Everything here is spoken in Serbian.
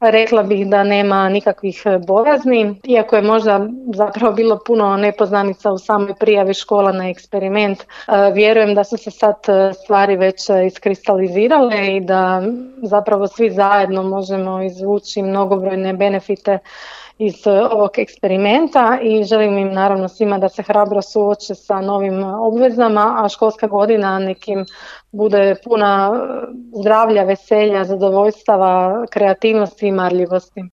Rekla bih da nema nikakvih bojazni, iako je možda zapravo bilo puno nepoznanica u samoj prijavi škola na eksperiment. Vjerujem da su se sad stvari već iskristalizirale i da zapravo svi zajedno možemo izvući mnogobrojne benefite iz ovog eksperimenta i želim im naravno svima da se hrabro suoče sa novim obvezama, a školska godina nekim bude puna zdravlja, veselja, zadovoljstava, kreativnosti i marljivosti.